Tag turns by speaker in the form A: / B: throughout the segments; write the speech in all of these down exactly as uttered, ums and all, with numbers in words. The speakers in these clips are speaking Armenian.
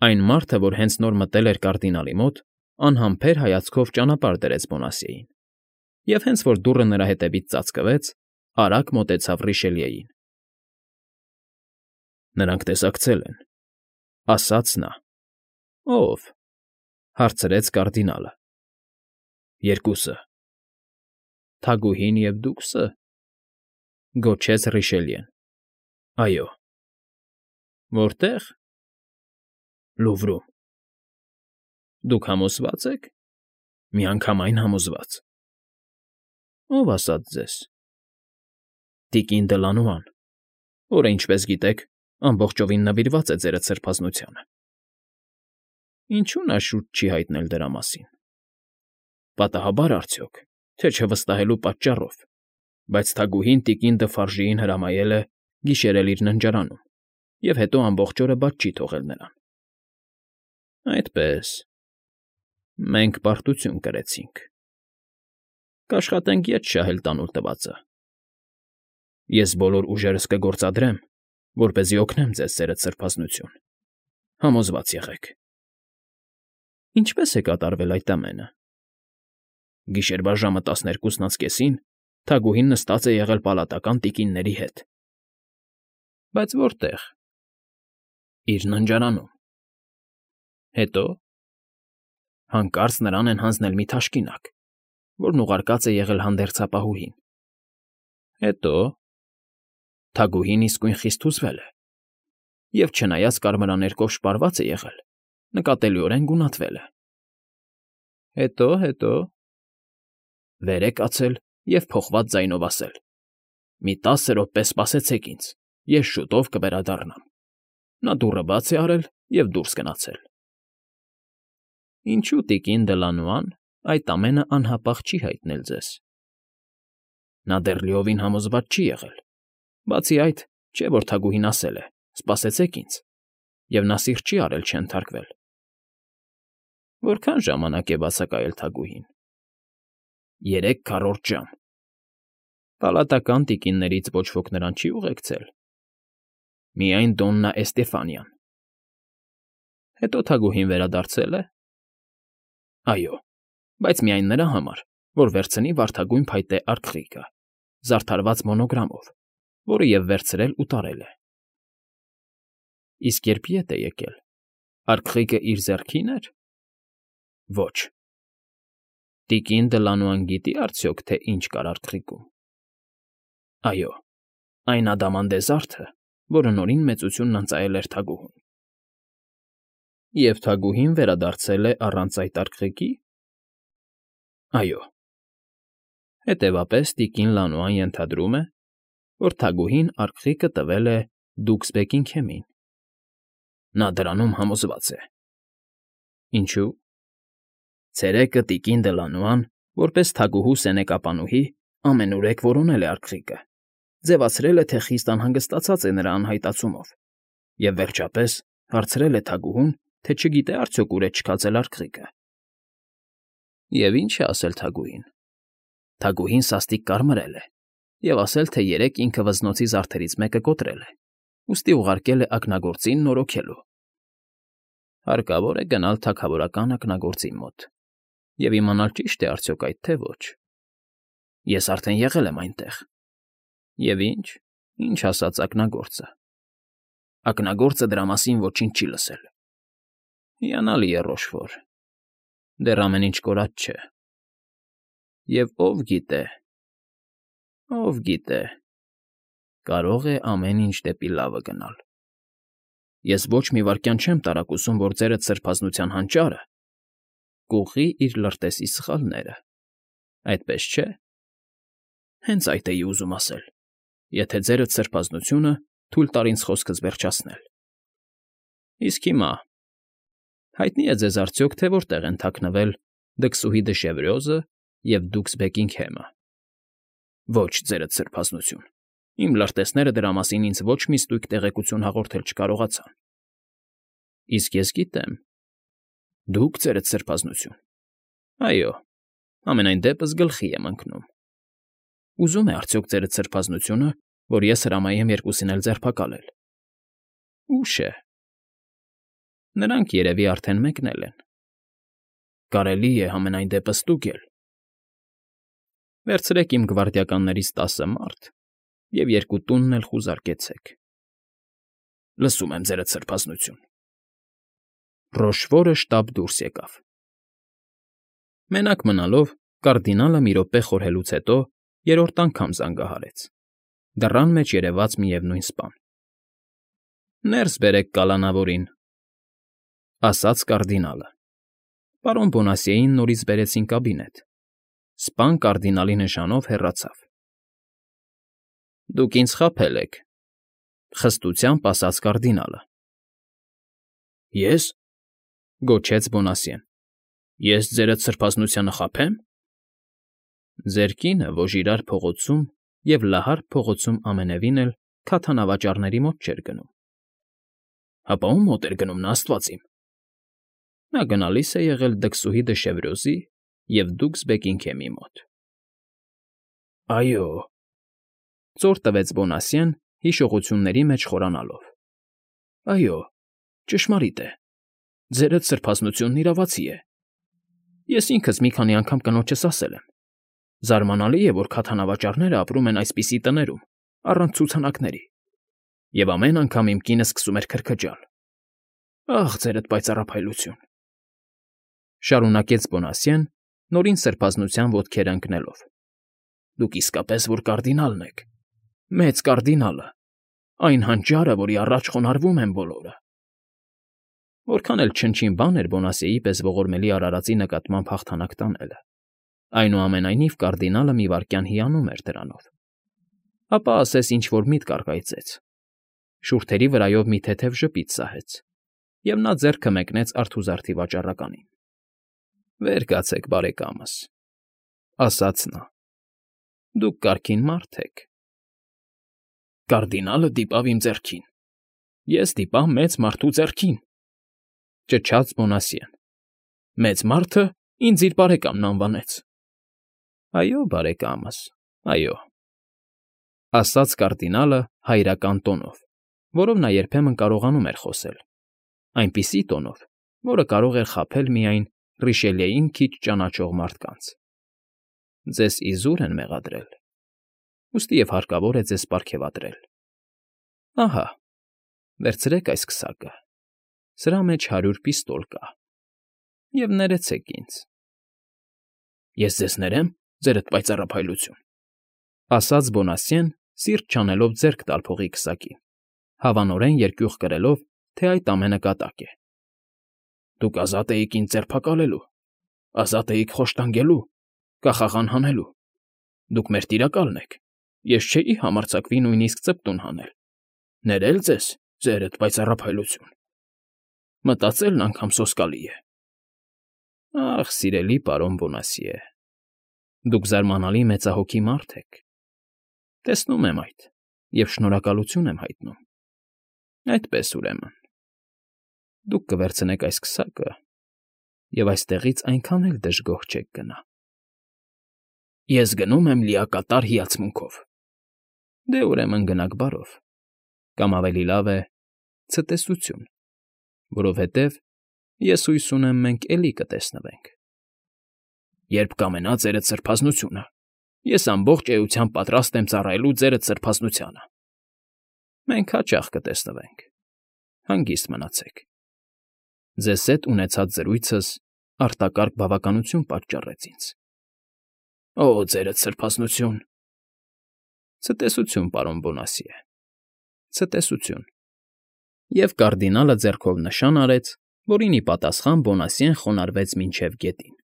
A: Այն մարդը, որ հենց նոր մտել էր կարդինալի մոտ, անհամբեր հայացքով ճանապարհ դրեց Բոնասիեին և, հենց որ դուռը նրա հետևից ծածկվեց, արագ մոտեցավ Ռիշելիեին։ ֊ Նրանք տեսակցել են,֊ ասաց նա։ ֊ Ո՞վ,֊ հարցրեց կարդինալը։ ֊ Երկուսը։ ֊ Թագուհին և դուքսը,֊ գոչեց Ռիշելիեն։ ֊ Այո։ ֊ Որտե՞ղ։ ֊ Լուվրում։ ֊ Դուք համոզվա՞ծ եք։ ֊ Միանգամայն համոզված։ ֊ Ո՞վ ասաց ձեզ։ ֊ Տիկին Դլանոան, որը, ինչպես գիտեք, ամբողջովին նվիրված է ձերդ սրբազնությանը։ ֊ Ինչո՞ւ նա շուտ չի հայտնել դրա մասին։ ֊ Պատահաբար արդյոք, թե չվստահելու պատճառով, բայց թագուհին տիկին Դ'Ֆարժիին հրամայել է գիշերել իր ննջարանում և հետո ամբողջ օրը բաց չի թողել նրան։ ֊ Այդպե՜ս։ Մենք պարտություն կրեցինք։ Կաշխատենք ետ շահել տանուլ տվածը։ Ես բոլոր ուժերս կգործադրեմ, որպեսզի օգնեմ ձեզ ձերդ սրբազնություն, համոզված եղեք։ ֊ Ինչպե՞ս է կատարվել այդ ամենը։ ֊ Գիշերվա ժամը տասներկուսն անց կեսին թագուհին նստած է եղել պալատական տիկինների հետ։ ֊ Բայց որտե՞ղ։ ֊ Իր ննջարանում։ ֊ Հետո։ ֊ Հանկարծ նրան են հանձնել մի թաշկինակ, որն ուղարկած է եղել հանդերձապահուհին։ ֊ Հետո։ ֊ Թագուհին իսկույն խիստ հուզվել է և, չնայած կարմրաներկով շպարված է եղել, նկատելիորեն գունատվել է։ ֊ Հետո, հետո։ ֊ Վեր է կացել և փոխված ձայնով ասել. «Մի տասը րոպե սպասեցեք ինձ, ես շուտով կվերադառնամ»։ Նա դուռը բաց է արել և դուրս գնացել։ ֊ Ինչո՞ւ տիկին Դլանոան այդ ամենը անհապաղ չի հայտնել ձեզ։ ֊ Նա դեռ լիովին համոզված չի եղել։ Բացի այդ, չէ՞ որ թագուհին ասել է. «Սպասեցեք ինձ», և նա սիրտ չի արել չընթարկվել։ ֊ Որքա՞ն ժամանակ է բացակայել թագուհին։ ֊ Երեք քառորդ ժամ։ ֊ Պալատական տիկիններից ոչ ոք նրան չի ուղեկցել։ ֊ Միայն Դոննա Էստեֆանիան։ ֊ Հետո թագուհին վերադարձե՞լ է։ ֊ Այո, բայց միայն նրա համար, որ վերցնի վարդագույն փայտե արգղիգը, զարդարված մոնոգրամով, որը և վերցրել ու տարել է։ ֊ Իսկ երբ ետ է եկել, արգղիգը իր ձեռքի՞ն էր։ ֊ Ոչ։ ֊ Տիկին Դլանոան գիտի՞ արդյոք, թե ինչ կար արգղիգում։ ֊ Այո, այն ադամանդե զարդը, որը Նորին մեծությունն ընծայել էր թագուհուն։ ֊ Եվ թագուհին վերադարձել է առանց այդ արգղիգի։ ֊ Այո։ ֊ Հետևաբար տիկին Լանոան ենթադրում է, որ թագուհին արգղիգը տվել է դուքս Բեքինգհեմին։ ֊ Նա դրանում համոզված է։ ֊ Ինչո՞ւ։ ֊ Ցերեկը տիկին Դլանոան, որպես թագուհու սենեկապանուհի, ամենուրեք որոնել է արգղիգը, ձևացրել է, թե խիստ անհանգստացած է նրա անհայտացումով և, վերջապես, հարցրել է թագուհուն, թե չգիտե արդյոք ուր է չքածել արգղիգը։ ֊ Եվ ի՞նչ է ասել թագուհին։ ֊ Թագուհին սաստիկ կարմրել է և ասել, թե երեկ ինքը վզնոցի զարդերից մեկը կոտրել է, ուստի ուղարկել է ակնագործին նորոգելու։ ֊ Հարկավոր է գնալ թագավորական ակնագործի մոտ և իմանալ ճի՞շտ է արդյոք այդ, թե ոչ։ ֊ Ես արդեն եղել եմ այնտեղ։ ֊ Եվ ի՞նչ, ինչ ասաց ակնագործը։ ֊ Ակնագործը դրա մասին ոչինչ չի լսել։ ֊ Հիանալի է, Ռոշֆոր, դեռ ամեն ինչ կորած չէ։ Եվ ով գիտե, ով գիտե, կարող է ամեն ինչ դեպի լավը գնալ։ Ես ոչ մի վայրկյան չեմ տարակուսում, որ ձերդ սրբազնության հանճարը կուղղի իր լրտեսի սխալները, այդպես չէ։ ֊ Հենց այդ էի ուզում ասել, եթե ձերդ սրբազնությունը թույլ տար ինձ խոսքս վերջացնել։ ֊ Իսկ հիմա հայտնի՞ է ձեզ արդյոք, թե որտեղ են թաքնվել Դքսուհի Դշևրյոզը և դուքս Բեքինգհեմը։ ֊ Ոչ, ձերդ սրբազնություն, իմ լրտեսները դրա մասին ինձ ոչ մի ստույգ տեղեկություն հաղորդել չկարողացան։ ֊ Իսկ ես գիտեմ։ ֊ Դուք, ձերդ սրբազնություն։ ֊ Այո, համենայն դեպս գլխի եմ ընկնում։ ֊ Ուզում է արդյոք ձերդ սրբազնությունը, որ ես հրամայեմ երկուսին էլ ձերբակալել։ ֊ Ուշ է։ Նրանք երևի արդեն մեկնել են։ Կարելի է համենայն դեպս ստուգել։ Վերցրեք իմ գվարդիականներից տասը մարդ և երկու տունն էլ խուզարկեցեք։ Լսում եմ, ձերդ սրբազնություն։ Ռոշֆորը շտապ դուրս եկավ։ Մենակ մնալով կարդինալը մի րոպե խորհելուց հետո երրորդ անգամ զանգահարեց։ Դռան մեջ երևաց միևնույն սպան։ Ներս բերեք կալանավորին, ասաց կարդինալը։ Պարոն Բոնասիեին նորից բերեցին կաբինետ։ Սպան կարդինալի նշանով հեռացավ։ Դուք ինձ խաբել եք, խստությամբ ասաց կարդինալը։ Ես,֊ գոչեց Բոնասիեն,֊ ես ձերդ սրբազնությանը խաբե՞մ։ Ձեր կինը Ոժիրար փողոցում և Լահարկ փողոցում ամենևին էլ քաթանավաճառների մոտ չէր գնում։ Հապա ո՞ւմ մոտ էր գնում նա, աստված իմ։ Նա գնալիս է եղել դքսուհի դը և դուքս Բեքինգհեմի մոտ։ Այո,֊ ծոր տվեց Բոնասիեն հիշողությունների մեջ խորանալով։ Այո, ճշմարիտ է, ձերդ սրբազնությունն իրավացի է։ Ես ինքս մի քանի անգամ կնոջս ասել եմ. զարմանալի է, որ քաթանավաճառները ապրում են այսպիսի տներում, առանց ցուցանակների, և ամեն անգամ իմ կինը սկսում էր քրքջալ։ Ախ, ձերդ պայծառափայլություն,֊ շարունակեց Բոնասիեն, նորին սրբազնության ոտքերը ընկնելով։ Դուք իսկապես որ կարդինալն եք, մեծ կարդինալը, այն հանճարը, որի առաջ խոնարհվում են բոլորը։ Որքան էլ չնչին բան էր Բոնասիեի պես ողորմելի արարածի նկատմամբ հաղթանակ տանելը, այնուամենայնիվ կարդինալը մի վայրկյան հիանում էր դրանով։ Ապա ասես ինչ֊որ միտք առկայծեց, շուրթերի վրայով մի թեթև ժպիտ սահեց, և նա ձեռքը մեկնեց արթուզարդի վաճառականին։ Վեր կացեք, բարեկամս,֊ ասաց նա, դուք կարգին մարդ եք։ Կարդինալը դիպավ իմ ձեռքին, ես դիպա մեծ մարդու ձեռքին,֊ ճչաց Բոնասիեն։ Մեծ մարդը ինձ իր բարեկամն անվանեց։ Այո, բարեկամս, այո,֊ ասաց կարդինալը հայրական տոնով, որով նա երբեմն կարողանում էր խոսել, այնպիսի տոնով, որը կարող էր խաբել միայն Ռիշելիեին քիչ ճանաչող մարդկանց։ Ձեզ իզուր են մեղադրել, ուստի և հարկավոր է ձեզ պարգևատրել։ Ահա, վերցրեք այս քսակը, սրա մեջ հարյուր պիստոլ կա, և ներեցեք ինձ։ Ես ձեզ ներեմ, ձերդ պայծառափայլություն,֊ ասաց Բոնասիեն, սիրտ չանելով ձեռք տալ փողի քսակին, հավանորեն երկյուղ կրելով, թե այդ ամենը կատակ է։ Դուք ազատ էիք ինձ ձերբակալելու, ազատ էիք խոշտանգելու, կախաղան հանելու։ Դուք մեր տիրակալն եք, ես չէի համարձակվի նույնիսկ ծպտուն հանել։ Ներել ձեզ, ձերդ պայծառափայլություն։ Մտածելն անգամ սոսկալի է։ Ախ, սիրելի պարոն Բոնասիե, դուք զարմանալի մեծահոգի մարդ եք։ Տեսնում եմ այդ և շնորհակալություն եմ հայտնում։ Այդպես, ուրեմն, դուք կվերցնեք այս քսակը և այստեղից այնքան էլ դժգոհ չեք գնա։ Ես գնում եմ լիակատար հիացմունքով։ Դե, ուրեմն, գնաք բարով, կամ ավելի լավ է՝ ցտեսություն, որովհետև ես հույս ունեմ մենք էլի կտեսնվենք։ Երբ կամենա ձերդ սրբազնությունը, ես ամբողջ էությամբ պատրաստ եմ ծառայելու ձերդ սրբազնությանը։ Մենք հաճախ կտեսնվենք։ Հանգիստ մնացեք։ Ձեզ հետ ունեցած զրույցս արտակարգ բավականություն պատճառեց ինձ։ Օ, ձերդ սրբազնություն… Ցտեսություն, պարոն Բոնասիե, ցտեսություն։ Եվ կարդինալը ձեռքով նշան արեց, որին ի պատասխան Բոնասիեն խոնարհվեց մինչև գետին,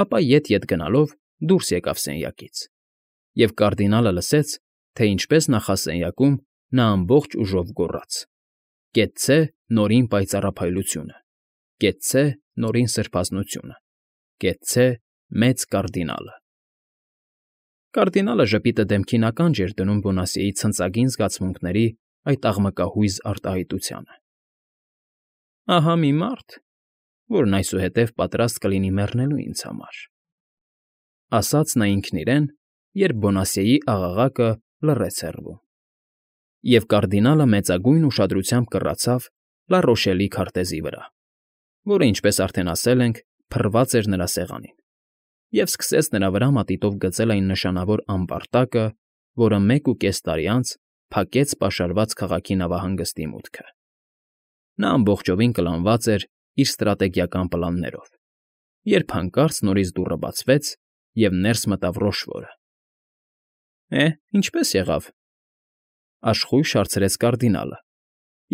A: ապա ետ֊ետ գնալով դուրս եկավ սենյակից, և կարդինալը լսեց, թե ինչպես նախասենյակում նա ամբողջ ուժով գոռաց. «Կեցցե Նորին պայծառափայլությունը, կեցցե Նորին սրբազնությունը, կեցցե Մեծ կարդինալը»։ Կարդինալը ժպիտը դեմքին ականջ էր դնում Բոնասիեի ցնծագին զգացմունքների այդ աղմկահույզ արտահայտությանը։ Ահա մի մարդ, որն այսուհետև պատրաստ կլինի մեռնելու ինձ համար,֊ ասաց նա ինքն իրեն, երբ Բոնասիեի աղաղակը լռեց հեռվում։ Եվ կարդինալը մեծագույն ուշադրությամբ կռացավ, Լա Ռոշելի քարտեզի վրա, որը, ինչպես արդեն ասել ենք, փռված էր նրա սեղանին, և սկսեց նրա վրա մատիտով գծել այն նշանավոր ամբարտակը, որը մեկ ու կես տարի անց փակեց պաշարված քաղաքի նավահանգստի մուտքը։ Նա ամբողջովին կլանված էր իր ստրատեգիական պլաններով, երբ հանկարծ նորից դուռը բացվեց, և ներս մտավ Ռոշվորը։ ֊ Է, ինչպե՞ս եղավ,֊ աշխույժ հարցրեց կարդինալը,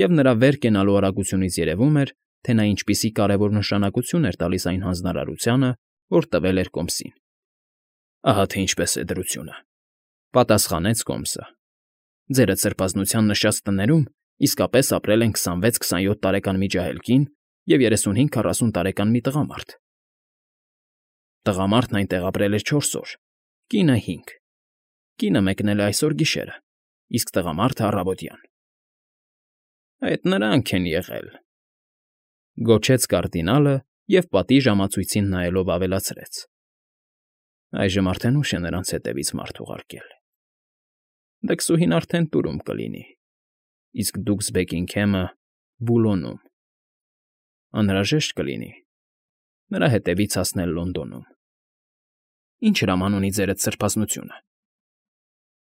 A: և նրա վեր կենալու արագությունից երևում էր, թե նա ինչպիսի կարևոր նշանակություն էր տալիս այն հանձնարարությանը, որ տվել էր կոմսին։ ֊ Ահա թե ինչպես է դրությունը,֊ պատասխանեց կոմսը։ Ձերդ սրբազնության նշած տներում իսկապես ապրել են քսանվեց֊քսանյոթ տարեկան մի ջահել կին և երեսունհինգ֊քառասուն տարեկան մի տղամարդ։ Տղամարդն այնտեղ ապրել էր չորս օր, կինը՝ հինգ. կինը մեկնել է այսօր գիշերը, իսկ տղամարդը՝ առավոտյան։ ֊ Այդ նրանք են եղել,֊ գոչեց կարդինալը և պատի ժամացույցին նայելով ավելացրեց. այժմ արդեն ուշ է նրանց հետևից մարդ ուղարկել։ Դքսուհին արդեն տուրում կլինի, իսկ Դուքսբեքինգհեմը՝ Բուլոնում. անհրաժեշտ կլինի նրա հետևից հասնել Լոնդոնում։ Ինչ հրաման ունի ձերդ սրբազնությունը։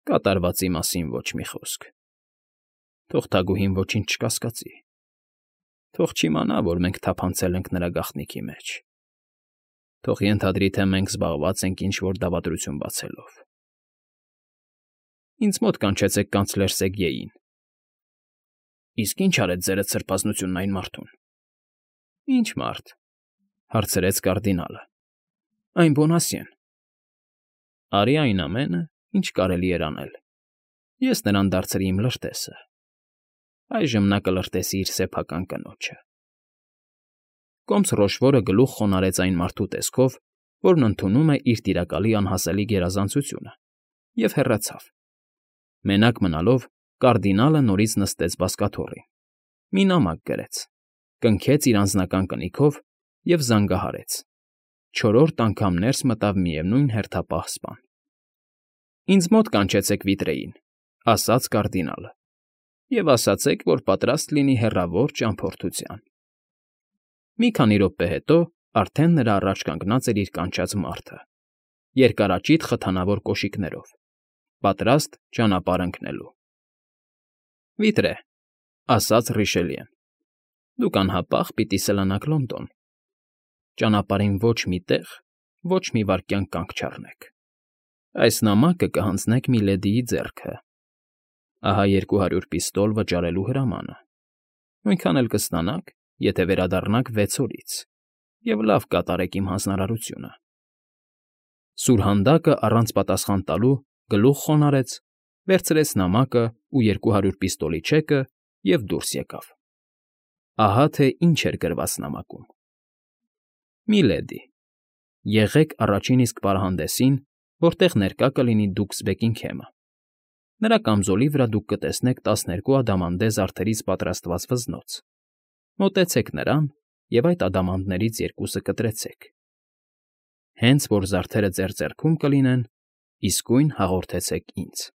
A: Կատարվածի մասին ոչ մի խոսք։ Թող թագուհին ոչինչ չկասկածի։ Թող չիմանա, որ մենք թափանցել ենք նրա գաղտնիքի մեջ։ Թող ենթադրի, թե մենք զբաղված ենք ինչ֊որ դավադրություն բացելով։ Ինձ մոտ կանչեցեք կանցլեր Սեգյեին։ ֊ Իսկ ի՞նչ արեց ձերդ սրբազնությունն այն մարդուն։ ֊ Ի՞նչ մարդ,֊ հարցրեց կարդինալը։ ֊ Այն Բոնասյեն։ Արի այն ամենը, ինչ կարելի էր անել։ Ես նրան դարձրի իմ լրտեսը։ Այժմ նա կլրտեսի իր սեփական կնոջը։ Կոմս Ռոշվորը գլուխ խոնարհեց այն մարդու տեսքով, որն ընդունում է իր տիրակալի անհասելի գերազանցությունը, և հեռացավ։ Մենակ մնալով, կարդինալը նորից նստեց բազկաթոռին, մի նամակ գրեց, կնքեց իր անձնական կնիքով և զանգահարեց։ Չորրորդ անգամ ներս մտավ միևնույն հերթապահ սպան։ ֊ Ինձ մոտ կանչեցեք վիտրեին,֊ ասաց կարդինալը,֊ և ասացեք, որ պատրաստ լինի հեռավոր ճամփորդության։ Մի քանի րոպե հետո արդեն նրա առաջ կանգնած էր իր կանչած մարդը՝ երկարաճիտ խթանավոր կոշիկներով, պատրաստ ճանապարհ ընկնելու։ ֊ Վիտրե,֊ ասաց Ռիշելիեն,֊ դուք անհապաղ պիտի սլանաք Լոնդոն։ Ճանապարհին ոչ մի տեղ, ոչ մի վայրկյան կանգ չառնեք։ Այս նամակը կհանձնեք միլեդիի ձեռքը։ Ահա երկու հարյուր պիստոլ վճարելու հրամանը։ Նույնքան էլ կստանաք, եթե վերադառնաք վեց օրից, և լավ կատարեք իմ հանձնարարությունը։ Սուրհանդակը առանց պատասխան տալու գլուխ խոնարհեց, վերցրեց նամակը ու երկու հարյուր պիստոլի չեկը և դուրս եկավ։ Ահա թե ինչ էր գրված նամակում. Միլեդի, եղեք առաջին իսկ պարահանդեսին, որտեղ ներկա կլինի Դուքսբեքինգհեմը։ Նրա կամզոլի վրա դուք կտեսնեք տասներկու ադամանդե զարդերից պատրաստված վզնոց։ Մոտեցեք նրան և այդ ադամանդներից երկուսը կտրեցեք։ Հենց որ զարդերը ձեր ձեռքում կլինեն, իսկույն հաղորդեցեք ինձ։